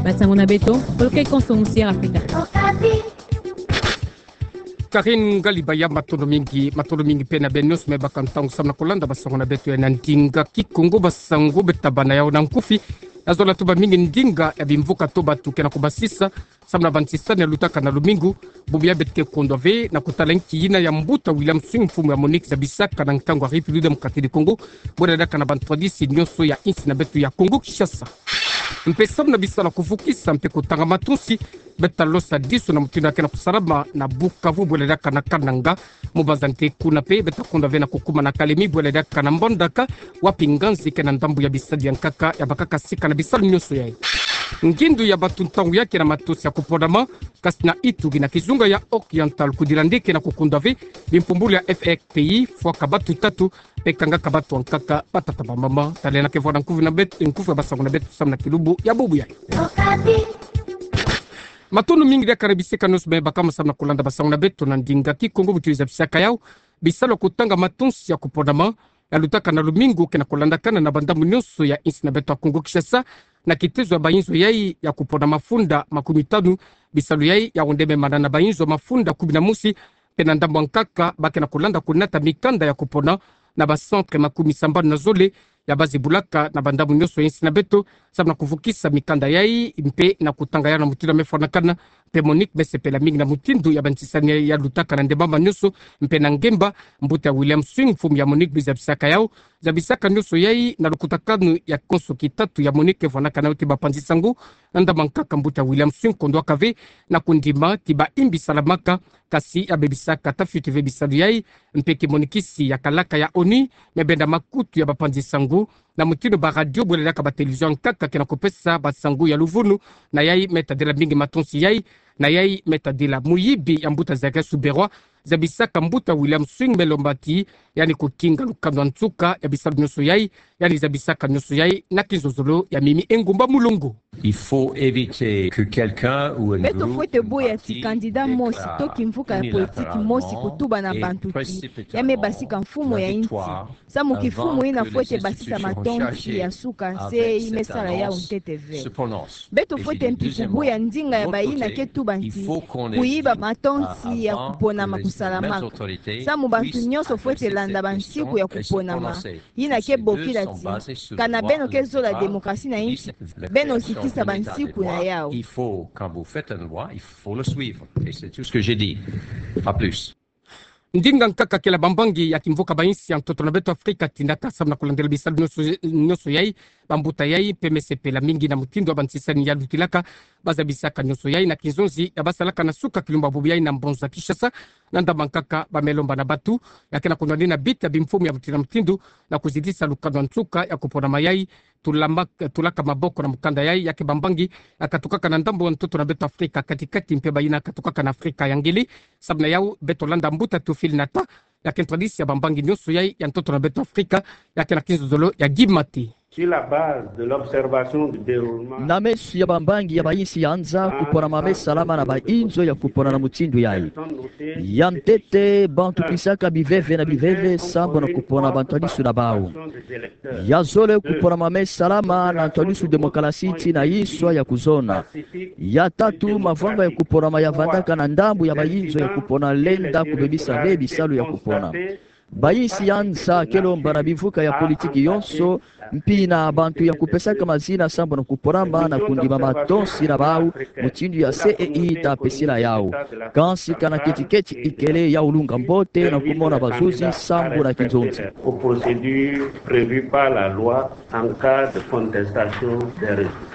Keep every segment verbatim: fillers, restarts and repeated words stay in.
Basango na beto, polo ke konso musi ya Afrika. Karine Ngalibaya, matondo mingi, matondo mingi pe na beno nyonso me baka ntangu samu na kolanda basango na beto ya na ndinga Kikongo. Basango beto tabana yau na nkufi. Ya zola tuba mingi ndinga ya bimvuka to batu ke na kubasisa samu na bantisani ya lutaka na lumingu. Bubu ya beto ke kondwa ve na kutala nki yina ya mbuta William Swing, mfumu ya MONUC, zabisaka na nkangu ya République Démocratique du Congo, bwela diaka na bantwadisi nyonso ya insi na beto ya Congo Kinshasa. Mpe samu na bisalu ya kuvukisa mpe kutanga matonsi, beto talosa disu na mutindu ya ke na kusalama na Bukavu bwela diaka na Kananga. Mu bazante kuna pe, beto kondwa ve na kukuma na Kalemi bwela diaka na Mbandaka, wapi nganzi ke na ndambu ya bisalu ya nkaka ya bakaka sika na bisalu nyonso yayi. Ngindu ya batu ntangu ya ke na matonsi ya kuponama, kasi na Ituri na kizunga ya Oriental kudila nde ke na kukondwa ve, bimpumbulu ya F R P I fwaka batu tatu, pe kangaka batu ya nkaka, batata, bamama. Talenda ke vwa na nkufi na beto, nkufi ya basango na beto samu na kilumbu ya bubu yayi. Matondo mingi diaka na bisika nyonso me baka ma samu na kolanda basango na beto na ndinga Kikongo. Buti zabisaka yau bisalu ya kutanga matonsi ya kuponama ya lutaka na lumingu ke na kulandakana na bandambu nyonso ya insi na beto ya Congo Kinshasa, na kitezo ya bayinzo yayi ya kupona mafunda makumi tanu. Bisalu yayi ya onde me mana na bayinzo mafunda kumi na mosi, mpe na ndambu ya nkaka ba ke na kulanda kunata mikanda ya kupona na ba centre makumi sambanu na zole ya bazibulaka na bandambu nyonso ya insi na beto, samu na kuvukisa mikanda yayi mpe na kutanga yau na mutindu ya me fwanakana. Mpe MONUC me sepela mingi na mutindu ya bantisani ya lutaka na ndembama nyonso mpe na ngemba. Mbuta William Swing, mfumu ya MONUC, bi zabisaka yau, zabisaka nyonso yayi na lukutakanu ya konso kitatu ya MONUC ke fwanakana yau ti bapanzi sango. Na ndambu ya nkaka, mbuta William Swing kondwaka ve na kundima ti ba imbi salamaka, kasi ya bebisaka tafiti ve bisalu yayi, mpe ki MONUCiste ya kalaka ya ONU me benda makutu ya bapanzi sango na mutindu ba radio bwela diaka ba télévision ya nkaka ke na kupesa basango ya luvunu. Na yayi me tadila mingi matonsi yayi, na yayi me tadila muyibi ya mbuta Zacharias Ruberwa, zabisaka mbuta William Swing me lomba ti yandi kukinga lukanu ya nsuka ya bisalu nyonso yayi. Yandi zabisaka nyonso yayi na kinzonzolo ya Mimi Engumba Mulongo. Il faut éviter que quelqu'un ou un groupe, un parti déclare unilatéralement la guerre. Beto fwete boya ti candidat mosi to kimvuka ya politiki mosi kutuba na bantu ti ya me basika mfumu ya insi. Samu kifumu yina fwete basisa matonsi ya nsuka, nse yi me sala yau ntete ve. Beto fwete mpi kuboya ndinga ya bayina ke tuba nti kuyiba matonsi ya kuponama kusalamaka. Samu bantu nyonso fwete landa bansiku ya kuponama yina ke bokila ti, kana beno ke zola démocratie na insi, beno zitisa bansiku na yau. Il faut, quand vous faites une loi, il faut le suivre. Et c'est tout ce que j'ai dit. Pas plus. Ndinga nkaka kele bambangi ya kimvuka ba insi ya ntoto na beto Afrika tinaka samu na kulandela bisalu nyonso, nyonso yayi, bambuta yayi mpe me sepela mingi na mutindu ya bantisani ya lutilaka, ba zabisaka nyonso yayi na kinzonzi ya basalaka na suka kilumbu ya bubu yayi na mbonza Kinshasa. Na ndambu ya nkaka ba me lomba na batu ya ke na kunwanina bita bimfumu ya mutindu na mutindu na kuzitisa lukanu ya nsuka ya kuponama yayi, tulama-, tulaka maboko na mukanda yayi ya ke bambangi ya katukaka na ndambu ya ntoto na beto Afrika kati-kati mpe bayina katukaka na Afrika ya ngele. Samu na yau beto landa mbuta Théophile Nata, ya ke ntwadisi ya bambangi nyonso yayi ya ntoto na beto Afrika, ya ke na kinzonzolo ya Guy Maté. Sur la base de l'observation du déroulement. Na meso ya bambangi ya ba insi ya nza, kuponama me salama na bayinzo ya kupona na mutindu yayi. Ya ntete, bantu kwisaka biveve na biveve sambu na kupona bantwadisu na bau. Ya zole, kuponama me salama na ntwadisu démocratie tii na inswa ya kuzona. Ya tatu, mavanga ya kuponama ya vandaka na ndambu ya bayinzo ya kupona lenda kubebisa ve bisalu ya kupona. Ba insi ya nza ke lomba na bivuka ya politiki yonso, mpi na bantu ya kupesaka mazina sambu na kuponama na kundima matonsi na bau, mutindu ya C E I ta pesila yau. Kansi kana keti-keti ikele ya ulunga mbote na kumona bazuzi sambu na kinzonzi. Aux procédures prévues par la loi en cas de contestation des résultats.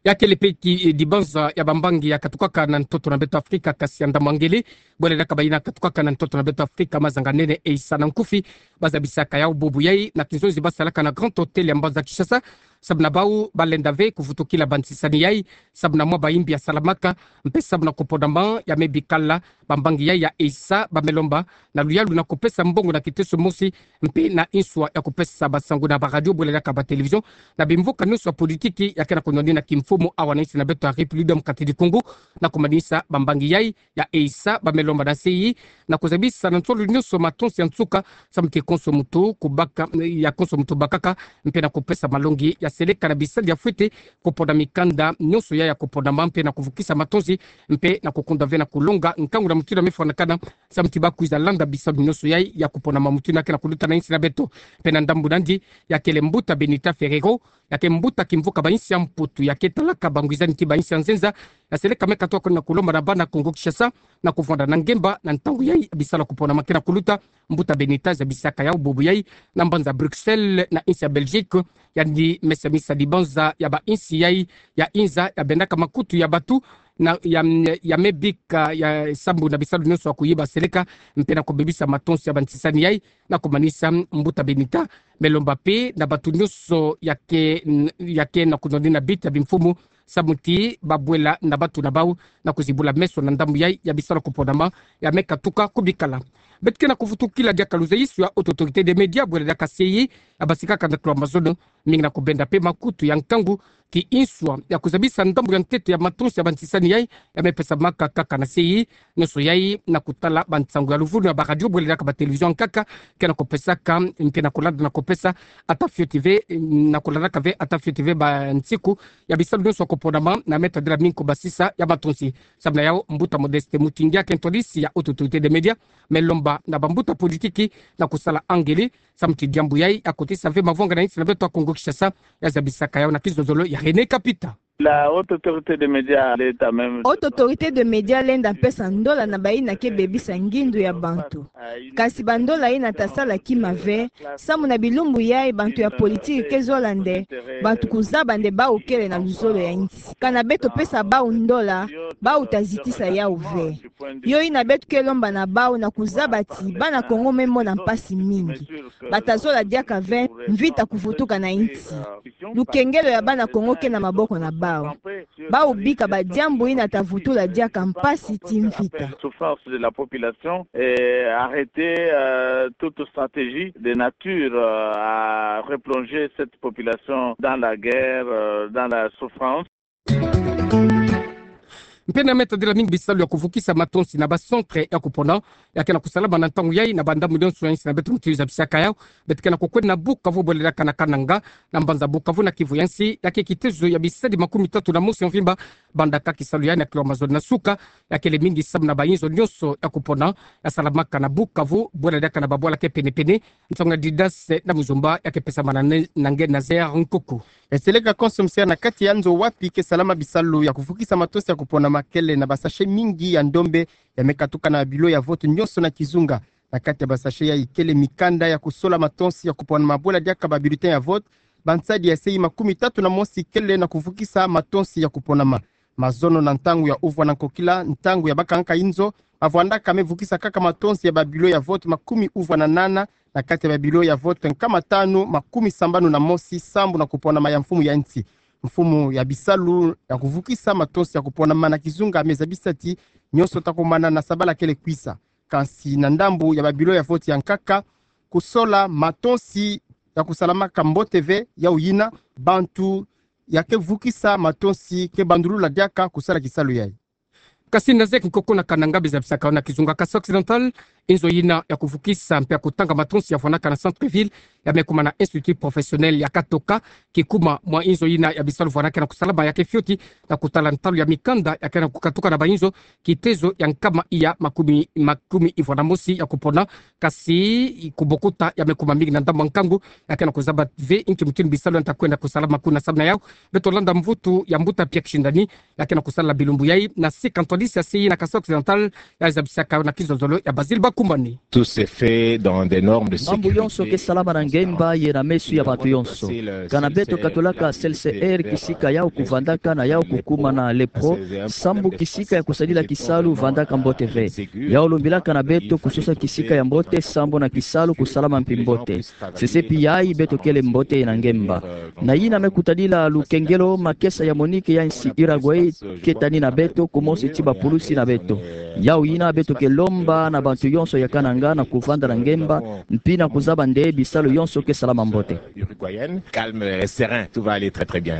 Ya kele pe ki, eh, dibanza ya bambangi ya katukaka na ntoto na beto Afrika, kasi ya ndambu ya ngele, bwele diaka bayina katukaka na ntoto na beto Afrika, mazanga nene Eissa na nkufi, ba zabisaka yau bubu yayi na kinzonzi ba salaka na Grand Hôtel ya mbanza Kinshasa. Samu na bau, ba lenda ve kuvutukila bantisani yayi, samu na mwa bayimbi ya salamaka, mpe samu na kuponama ya me bikala. Bambangi yayi ya Eissa ba me lomba na luyalu na kupesa mbongo na kiteso mosi, mpe na inswa ya kupesa basango na ba radio bwele diaka ba télévision, na bimvuka nyonso ya politiki ya ke na kunwanina kimfumu awa na insi na beto ya République Démocratique du Congo, na kumanisa bambangi yayi ya Eissa ba me lomba na nseyi na kuzabisa na nsolo nyonso matonsi ya nsuka, samu ti konso muntu kubaka, ya konso muntu bakaka, mpe na kupesa malongi ya ya seleka na bisali ya fwete kupona mikanda nyonso yai ya kuponama mpe na kuvukisa matonzi mpe na kukunda ve na kulonga nkangu na mutindu ya me fwanakana samu ti bakwiza landa bisalu nyonso yai ya kuponama mutindu ya ke na kuluta na insi na beto. Mpe na ndambu nandi, ya kele mbuta Benita Ferrero, ya ke mbuta kimvuka ba insi ya Mputu, ya ke talaka bangwizani ti ba insi ya nzenza, ya seleka me katuka na kulomba na bana Kongo Kinshasa na kuvwanda na ngemba na ntangu yai bisalu ya kuponama ke na kuluta. Mbuta Benita zabisaka yau bubu yai na mbanza Bruxelles na insi ya Belgique, yandi me semisa dibanza ya ba insi yai ya inza ya bendaka makutu ya batu na ya, ya me bika ya sambu na bisalu nyonso ya kuyiba seleka mpe na kubebisa matonzi ya bantisani yai. Na kumanisa, mbuta Benita me lomba mpe na batu nyonso ya ke, ya ke na kunoni na bita bimfumu samu ti babwela na batu na bau na kuzibula meso na ndambu yai ya bisalu ya kuponama ya me katuka kubikala. Beto ke na kuvutukila diaka luzayisu ya Haute Autorité des Médias bwela diaka C I A ya basikaka na tolo ya mazono, mingi na kubenda mpe makutu ya nkangu ki inswa ya kuzabisa ndambu ya ntete ya matonzi ya bantisani yai ya me pesamaka kaka na C I A, nyonso yai na kutala bansangu ya luvunu ya ba radio bwela diaka ba télévision kaka ke na kupesaka, ke na kulanda na kupesa ata fioti ve, na kulandaka ve ata fioti ve bansiku ya bisalu nyonso ya kuponama na me tadila mingi kubasisa ya matonzi. Samu na yau, mbuta Modeste Mutingi ya ke ntwadisi ya Haute Autorité des Médias me lomba na bambuta politiki na kusala angele samu ti diambu yai ya kotisa ve mavwanga na insi na beto ya Kongo Kinshasa ya zabisaka yau na kizozolo ya René Kapita. La Haute Autorité des Médias lenda même Haute Autorité des Médias lenda pesa ndola na bayina ke bebisa ngindu ya bantu. Kasi bandola yina ta sala kima ve, samu na bilumbu yai bantu ya politiki ke zola nde bantu kuzaba nde bau kele na luzolo ya insi. Kana beto pesa bau ndola, bau ta zitisa yau ve. Yo yina beto ke lomba na bau na kuzaba ti bana Kongo me mona mpasi mingi. Ba ta zola diaka ve mvita kuvutuka na insi. Lukengelo ya bana Kongo ke na maboko na bau. Bau bika badiambu yina ta vutula diaka mpasi ti mvita. Souffrance de la population et arrêter, euh, toute stratégie de nature, euh, à replonger cette population dans la guerre, euh, dans la souffrance. Mpe na me tadila mingi bisalu ya kuvukisa matonzi na ba centre ya kupona ya ke na kusalama na ntangu yai na bandambu nyonso ya insi na beto mutindu zabisaka yau. Beto ke na kukwenda na Bukavu bwela diaka na Kananga, na mbanza Bukavu na kivu ya nsi, ya ke kitezo ya bisadi makumi tatu na mosi ya mvimba bandaka kisalu yai na tolo ya mazono na suka. Ya kele mingi samu na bayinzo nyonso ya kupona ya salamaka na Bukavu bwela diaka na babwala ke penepene. Nsangu ya Didas na Muzumba ya ke pesamana na nge Nazaire Nkuku. E seleka konso msere na kati ya nzo wapi ke salama bisalu ya kuvukisa matonzi ya kuponama kele na ba sachet mingi ya ndombe ya me katuka na bilo ya vote nyonso na kizunga. Na kati ya ba sachet yai kele mikanda ya kusola matonzi ya kuponama bwela diaka ba bulletin ya vote, bansadi ya sei makumi tatu na mosi kele na kuvukisa matonzi ya kuponama. Mazono na ntangu ya uvwa na nkokila, ntangu ya bakangaka inzo, mavwandaka me vukisa kaka matonzi ya ba bilo ya vote makumi uvwa na nana, na kati ya ba bilo ya vote nkama tanu makumi sambanu na mosi sambu na kuponama ya mfumu ya nsi. Mfumu ya bisalu ya kuvukisa matonzi ya kuponama na kizunga me zabisa ti nyonso ta kumana na sabala kele kwisa. Kansi na ndambu ya ba bilo ya vote ya nkaka, kusola matonzi ya kusalamaka mbote ve, yau yina bantu ya ke vukisa matonzi ke bandulula diaka kusala kisalu yai. Kasi na zeki nkoko na Kananga, be zabisaka yau na kizunga Kasai Occidental, inzo yina ya kuvukisa mpe ya kutanga matonzi ya vwanaka na centre-ville ya me kuma na Institut Professionnel ya Katoka, kikuma mwa inzo yina ya bisalu vwanaka na kusalama ya ke fioti na kutala ntalu ya mikanda ya ke na kukatuka na bayinzo, kitezo ya nkama iya makumi, makumi ivwa na mosi ya kupona. Kasi kubokuta ya me kuma mingi na ndambu ya nkangu ya ke na kuzaba ve inki mutindu bisalu ya nta kwenda kusalama kuna. Samu na yau, beto landa mvutu ya mbuta Pierre Kishindani ya ke na kusala bilumbu yai na sika ntwadisi ya sei na Kasai Occidental, ya zabisaka yau na kizozolo ya Basile Bakumbani. Tout se fait dans des normes de sécurité. Mambu yonso ke salama na ngemba ye na meso ya bantu yonso. Kana beto katolaka C L C R, kisika yau kuvandaka na yau kukuma na le pro, sambu kisika ya kusadila kisalu vandaka mbote ve. Yau lumbilaka na beto kusosa kisika ya mbote sambu na kisalu kusalama mpi mbote. Sese pi yai beto kele mbote na ngemba. Na yina me kutadila lukengelo, makesa ya Monique ya nsi Uruguay ke tani na beto, kumosi ti bapulusi na beto. Yau yina beto ke lomba na bantu yonso ya Kananga na kuvanda na ngemba, mpi na kuzaba nde bisalu yonso ke salama mbote. Uruguayenne, calme et serein, tout va aller très, très bien.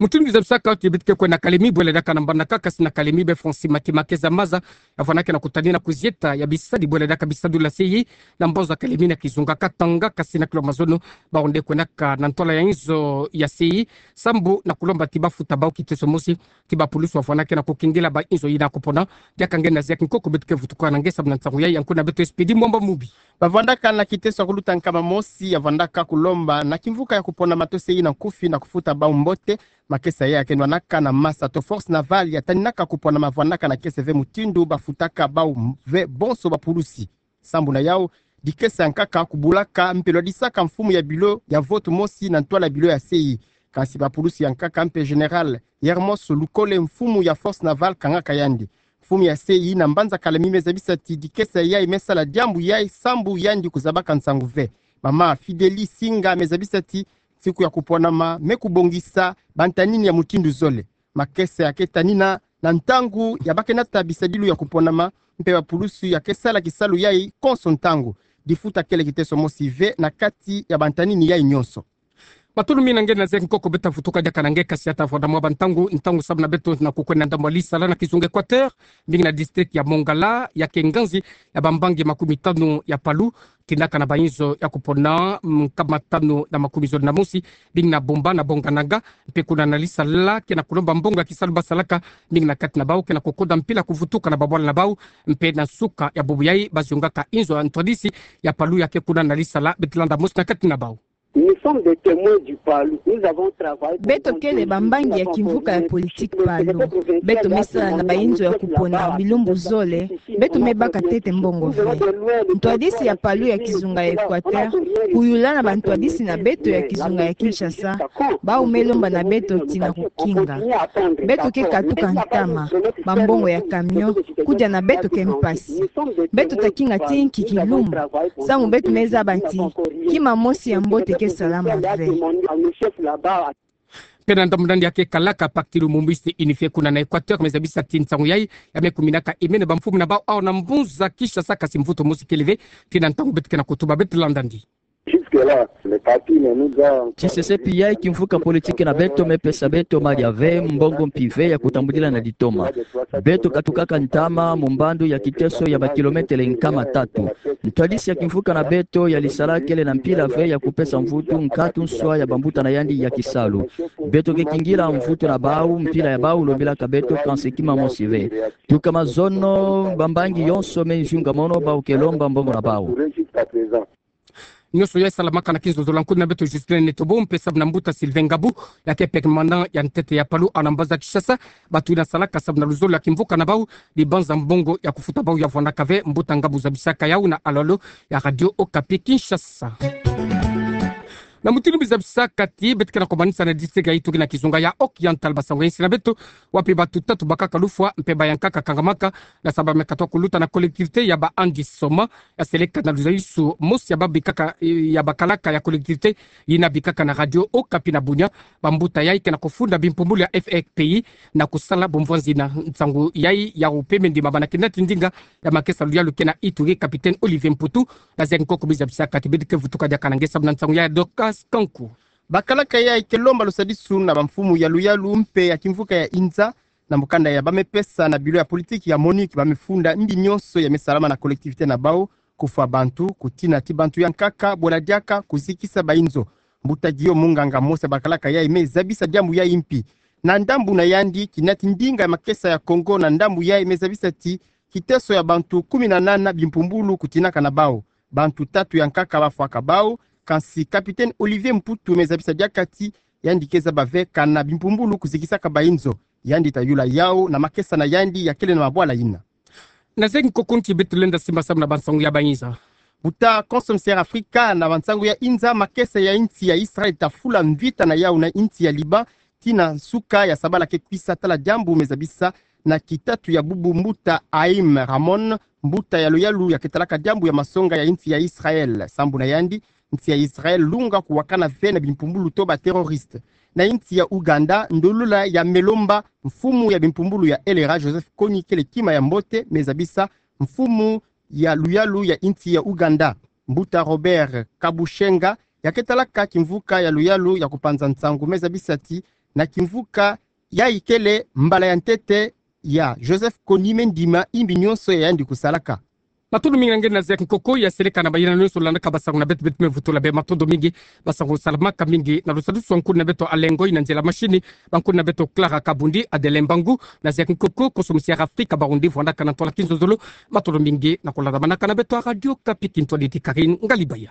Mutindu mizabisaka ti beto ke kwenda kalemi bwele diaka na mbanaka, kasi na kalemi be Francis Maki Makeza Maza, ya vwanaka na kutani na kuzieta ya bisadi bwele diaka bisadula seyi na mbanza kalemi na kizunga Katanga, kasi na kilo mazono, baonde kwendaka na ntwala ya inzo ya seyi, sambu na kulomba ti bafuta bau kiteso mosi ti bapulusu ya vwanaka na kukingila ba inzo yina kupona. Diaka nge na Zack Nkoko beto ke vutuka na nge samu na nsangu yayi, nkuna beto Expédit Mwamba Mubi. Bavwandaka na kiteso ya kuluta nkama mosi ya vwandaka kulomba na kimvuka ya kupona mato seyi na nkufi na kufuta bau mbote. Makesa ya kenwanaka na masa to Force Navale ya taninaka kupona ma vwandaka na kese ve mutindu bafutaka bau ve bonso bapulusi. Sambu na yau, dikesa ya nkaka kubulaka mpe lwadisaka mfumu ya bilo ya vote mosi na ntwala ya bilo ya seyi. Kasi bapulusi ya nkaka mpe Général Yermos Lukole, mfumu ya Force Navale, kangaka yandi. Mfumu ya seyi na mbanza kalemi me zabisa ti dikesa yayi me sala diambu yayi sambu yandi kuzabaka nsangu ve. Mama Fideli Singa me zabisa ti nsiku ya kuponama me kubongisa bantanini ya mutindu zole. Makesa ya ke tanina na ntangu ya ba ke nata bisadilu ya kuponama, mpe bapulusu ya ke sala kisalu yayi konso ntangu. Difuta kele kiteso mosi ve na kati ya bantanini yayi nyonso. Matondo mingi na nge na Zack Nkoko, beto ta vutuka diaka na nge kasi ya ta vwanda mwa bantangu, ntangu samu na beto na kukwenda ndambu ya lisala na kizunga Équateur, mbingi na district ya Mongala, ya ke nganzi ya bambangi makumi tanu ya Palu, tindaka na ba inzo ya kupona, mm, nkama tanu na makumi zole na mosi, mbingi na Bomba na Bongananga, mpe kuna na lisala ke na kulomba mbongo ya kisalu basalaka, mbingi na kati na bau ke na kukoda mpila kuvutuka na babwala na bau, mpe na nsuka ya bubu yayi baziongaka inzo ya ntwadisi ya Palu ya ke kuna na lisala, beto landa mosi na kati na bau. Nous sommes des témoins du Palu. Nous avons travaillé pendant deux jours. Beto kele bambangi ya kimvuka ya politique Palu. Beto me sala na ba inzo ya kupona bilumbu zole. Beto me baka ntete mbongo ve. Ntwadisi ya Palu ya kizunga ya Équateur, kuyula na bantwadisi na beto ya kizunga ya Kinshasa, bau me lomba na beto ti na kukinga. Beto ke katuka ntama, bambongo ya camion, kudia na beto ke mpasi. Beto ta kinga ti nki kilumbu, samu beto me zaba ti kima mosi ya mbote ke salama ve. Mpe na ndambu na yandi ya ke kalaka Pacte Lumbumbiste Unifié kuna na Équateur, me zabisa ti nsangu yayi ya me kuminaka imene bamfumu na bau awa na mbuza Kinshasa, kasi mvutu mosi kele ve. Tii na ntangu beto ke na kutuba, beto landa yandi. Jusque-là, le parti ne nous a... Ti sesepi yayi, kimvuka politique na beto me pesa beto madia ve, mbongo mpi ve ya kutambudila na ditoma. Beto katukaka ntama mu mbandu ya kiteso ya ba kilomètre nkama tatu. Ntwadisi ya kimvuka na beto ya lisala kele na mpila ve ya kupesa mvutu nkatu nswa ya bambuta na yandi ya kisalu. Beto ke kingila mvutu na bau, mpila ya bau lombilaka beto, kansi kima mosi ve. Tuka mazono, bambangi yonso me nzunga mono, bau ke lomba mbongo na bau. Nyonso yayi salamaka na kinzonzolo. Nkuna beto Justin Netobo, mpe samu na mbuta Sylvain Ngabu, ya ke permanent ya ntete ya Palu awa na mbaza Kinshasa, bato yina salaka samu na luzolo ya kimvuka na bau, dibanza mbongo ya kufuta bau ya vwandaka ve. Mbuta Ngabu zabisaka yau na alolo ya Radio Okapi Kinshasa. Na mutindu mbi zabisaka ti, beto ke na kumanisa na district ya Ituri na kizunga ya Occidental, ba sango ya insi na beto, wapi bato tatu bakaka lufwa, mpe ba yankaka kangamaka, na salu ba me katuka kuluta na collectivité ya ba Andi Soma, ya seleka na luzalisu mosi ya babikaka, eh, ya bakalaka ya collectivité yina bikaka na Radio Okapi na bunya. Bambuta yayi ke na kufunda bimpumbulu ya F R P I na kusala bumvwanzi na nsangu yayi ya upeme ndima bana kina ti ndinga ya makesa luyalu ke na Ituri, capitaine Olivier Mputu. Na Zack Nkoko mbi zabisaka ti beto ke vutuka diaka na nge samu na nsangu ya Dorcas Kanku. Bakalaka yayi ke lomba lusadisu na bamfumu ya luyalu mpe ya kimvuka ya inza, na mukanda ya ba me pesa na bureau ya politique ya MONUC, ba me funda mbi nyonso ya me salama na collectivité na bau, kufwa bantu, kutina ti bantu yankaka, bola diaka, kuzikisa ba inzo. Mbuta Guillaume, munganga mosi ya bakalaka yayi, me zabisa diambu yayi mpi. Na ndambu na yandi, kina ti ndinga ya makesa ya Congo na ndambu yayi me zabisa ti kiteso ya bantu kumi na nana bimpumbulu kutinaka na bau. Bantu tatu yankaka bafwaka bau, kansi capitaine Olivier Mputu me zabisa diaka ti yandi ke zaba ve kana bimpumbulu kuzikisaka ba inzo. Yandi ta yula yau na makesa na yandi ya kele na mabwala yina. Na Zack Nkoko, nki beto lenda simba samu na bansangu ya ba inza? Buta Konso Msera Afrika, na bansangu ya inza, makesa ya insi ya Israël ta fula mvita na yau na insi ya Liban, tii na nsuka ya sabala ke kwisa. Tala diambu me zabisa na kitatu ya bubu mbuta Haïm Ramon, mbuta ya luyalu ya ke talaka diambu ya masonga ya insi ya Israël. Sambu na yandi, insi ya Israël lunga kuwakana ve na bimpumbulu to ba terroriste. Na insi ya Ouganda, ndolula ya Melomba, mfumu ya bimpumbulu ya L R A, Joseph Kony, kele kima ya mbote, me zabisa mfumu ya luyalu ya insi ya Ouganda. Mbuta Robert Kabushenga, ya ke talaka kimvuka ya luyalu ya kupanza nsangu, me zabisa ti na kimvuka ya ikele mbala ya ntete ya Joseph Kony Mendima, imbi nionso ya yandi kusalaka. Matondo mingi nge na Zek Nkoko, ya seleka na bayina nionso landaka basango na beto, beto me vutula bê matondo mingi. Basango salamaka mingi na lusadusu wa nkuna beto Alengoi, na nzela mashini ba nkuna beto Clara Kabundi, Adelin Mbangu, na Zek Nkoko, koso musi ya Afrika Barundi, vwandaka na ntwala kinzonzolo. Matondo mingi na kulandamanaka na beto a Radio Okapi, kintwadi ti Karine Ngalibaya.